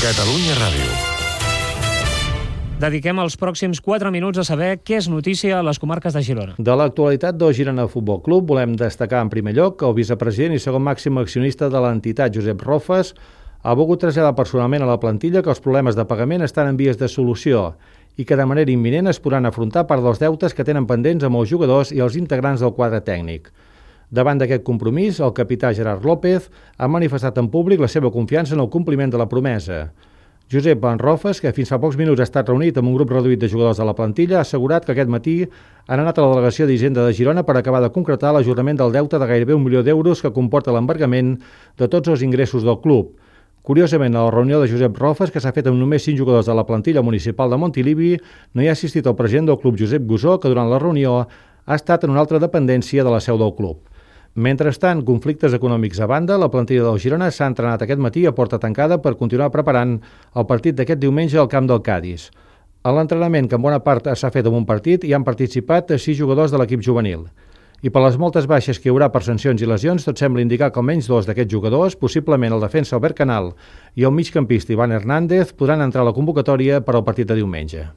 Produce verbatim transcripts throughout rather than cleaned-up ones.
Catalunya Ràdio. Dediquem els pròxims quatre minuts a saber què és notícia a les comarques de Girona. De l'actualitat del Girona Futbol Club volem destacar en primer lloc que el vicepresident i segon màxim accionista de l'entitat, Josep Rofes, ha volgut traslladar personalment a la plantilla que els problemes de pagament estan en vies de solució i que de manera imminent es podran afrontar part dels deutes que tenen pendents amb els jugadors i els integrants del quadre tècnic. Davant d'aquest compromís, el capità Gerard López ha manifestat en públic la seva confiança en el compliment de la promesa. Josep Rofes, que fins fa pocs minuts ha estat reunit amb un grup reduït de jugadors de la plantilla, ha assegurat que aquest matí han anat a la delegació d'Hisenda de Girona per acabar de concretar l'ajornament del deute de gairebé un milió d'euros que comporta l'embargament de tots els ingressos del club. Curiosament, a la reunió de Josep Rofes, que s'ha fet amb només cinc jugadors de la plantilla municipal de Montilivi, no hi ha assistit el president del club, Josep Gusó, que durant la reunió ha estat en una altra dependència de la seu del club. Mentrestant, conflictes econòmics a banda, la plantilla del Girona s'ha entrenat aquest matí a porta tancada per continuar preparant el partit d'aquest diumenge al camp del Cadis. A l'entrenament, que en bona part s'ha fet amb un partit, hi han participat sis jugadors de l'equip juvenil. I per les moltes baixes que hi haurà per sancions i lesions, tot sembla indicar que almenys dos d'aquests jugadors, possiblement el defensa Albert Canal i el migcampista Ivan Hernández, podran entrar a la convocatòria per al partit de diumenge.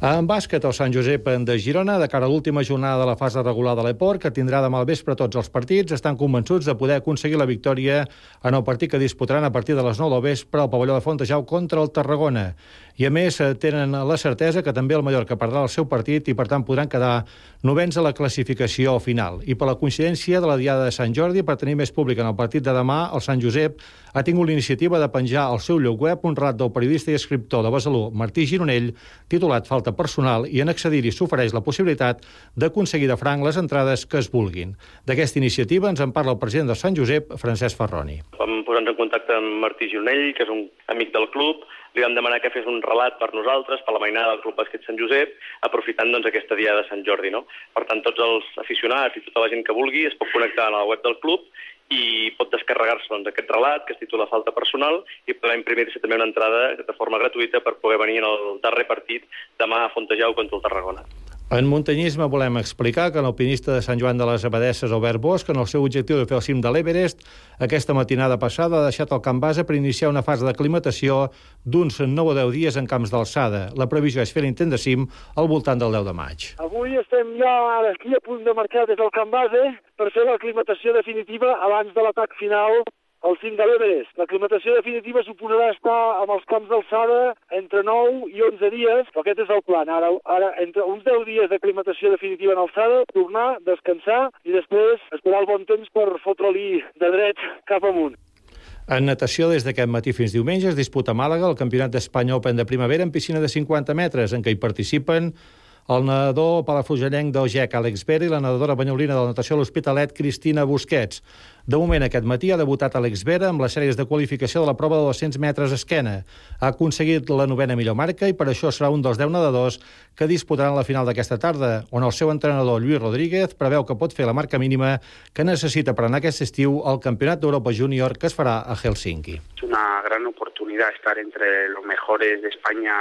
En bàsquet, el Sant Josep de Girona, de cara a l'última jornada de la fase regular de l'Eport, que tindrà demà al vespre tots els partits, estan convençuts de poder aconseguir la victòria en el partit que disputaran a partir de les nou del vespre al pavelló de Fontejau contra el Tarragona. I a més, tenen la certesa que també el Mallorca perdrà el seu partit i, per tant, podran quedar novens a la classificació final. I per la coincidència de la Diada de Sant Jordi, per tenir més públic en el partit de demà, el Sant Josep ha tingut l'iniciativa de penjar al seu lloc web un relat del periodista i escriptor de Besalú, Martí Gironell, titulat Falta personal, i en accedir-hi s'ofereix la possibilitat d'aconseguir de franc les entrades que es vulguin. D'aquesta iniciativa ens en parla el president del Sant Josep, Francesc Ferroni. Vam posar-nos en contacte amb Martí Gironell, que és un amic del club. Li vam demanar que fes un relat per nosaltres, per la mainada del Club Bàsquet Sant Josep, aprofitant doncs, aquesta dia de Sant Jordi. No? Per tant, tots els aficionats i tota la gent que vulgui es pot connectar a la web del club i pot descarregar-se doncs, aquest relat que es titula Falta personal i podrà imprimir-se també una entrada de forma gratuïta per poder venir en el darrer partit demà a Fontejau contra el Tarragona. En muntanyisme volem explicar que l'alpinista de Sant Joan de les Abadesses, Albert Bosch, en el seu objectiu de fer el cim de l'Everest, aquesta matinada passada ha deixat el camp base per iniciar una fase d'aclimatació d'uns nou o deu dies en camps d'alçada. La previsió és fer l'intent de cim al voltant del deu de maig. Avui estem ja aquí a punt de marxar des del camp base per fer l'aclimatació definitiva abans de l'atac final al cim de l'Everest. L'aclimatació definitiva suposarà estar amb els camps d'alçada entre nou i onze dies, però aquest és el plan. Ara, ara entre uns deu dies d'aclimatació definitiva en alçada, tornar, descansar i després esperar el bon temps per fotre-li de dret cap amunt. En natació, des d'aquest matí fins diumenge, es disputa a Màlaga el Campionat d'Espanya Open de primavera en piscina de cinquanta metres, en què hi participen el nedador palafrugellenc del G E C, Àlex Vera, i la nedadora banyolina de la natació a l'Hospitalet, Cristina Busquets. De moment, aquest matí ha debutat Àlex Vera amb les sèries de qualificació de la prova de dos-cents metres esquena. Ha aconseguit la novena millor marca i per això serà un dels deu nedadors que disputaran la final d'aquesta tarda, on el seu entrenador, Lluís Rodríguez, preveu que pot fer la marca mínima que necessita per anar aquest estiu al Campionat d'Europa Júnior que es farà a Helsinki. Es una gran oportunidad estar entre los mejores de España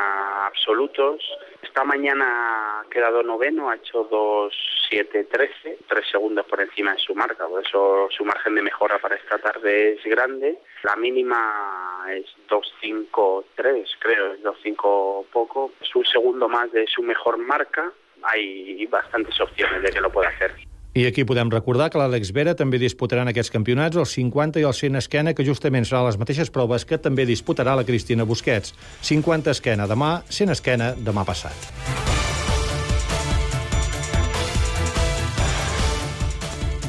absolutos. Esta mañana ha quedado noveno, ha hecho dos siete trece, tres segundos por encima de su marca, por eso su margen de mejora para esta tarde es grande. La mínima es dos cinco tres, creo, es dos cinco poco. Es un segundo más de su mejor marca, hay bastantes opciones de que lo pueda hacer. I aquí podem recordar que l'Àlex Vera també disputarà en aquests campionats els cinquanta i el cent esquena, que justament seran les mateixes proves que també disputarà la Cristina Busquets. cinquanta esquena demà, cent esquena demà passat.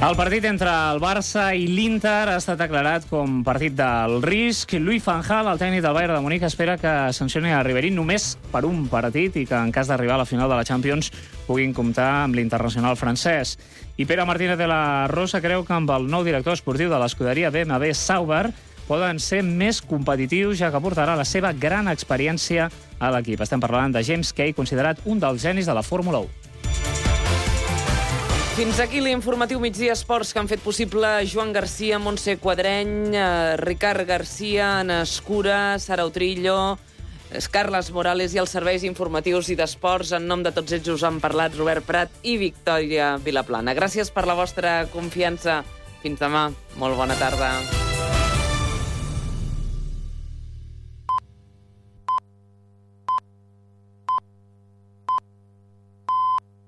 El partit entre el Barça i l'Inter ha estat declarat com partit del risc. Louis van Gaal, el tècnic del Bayern de Munic, espera que sancioni a Ribéry només per un partit i que en cas d'arribar a la final de la Champions puguin comptar amb l'internacional francès. I Pere Martínez de la Rosa creu que amb el nou director esportiu de l'escuderia B M W Sauber poden ser més competitius, ja que portarà la seva gran experiència a l'equip. Estem parlant de James Kay, considerat un dels genis de la Fórmula u. Fins aquí l'informatiu Migdia Esports que han fet possible Joan Garcia, Montse Quadreny, eh, Ricard Garcia, Anna Escura, Sara Utrillo, Carles Morales i els serveis informatius i d'esports. En nom de tots ells us han parlat Robert Prat i Victòria Vilaplana. Gràcies per la vostra confiança. Fins demà. Molt bona tarda.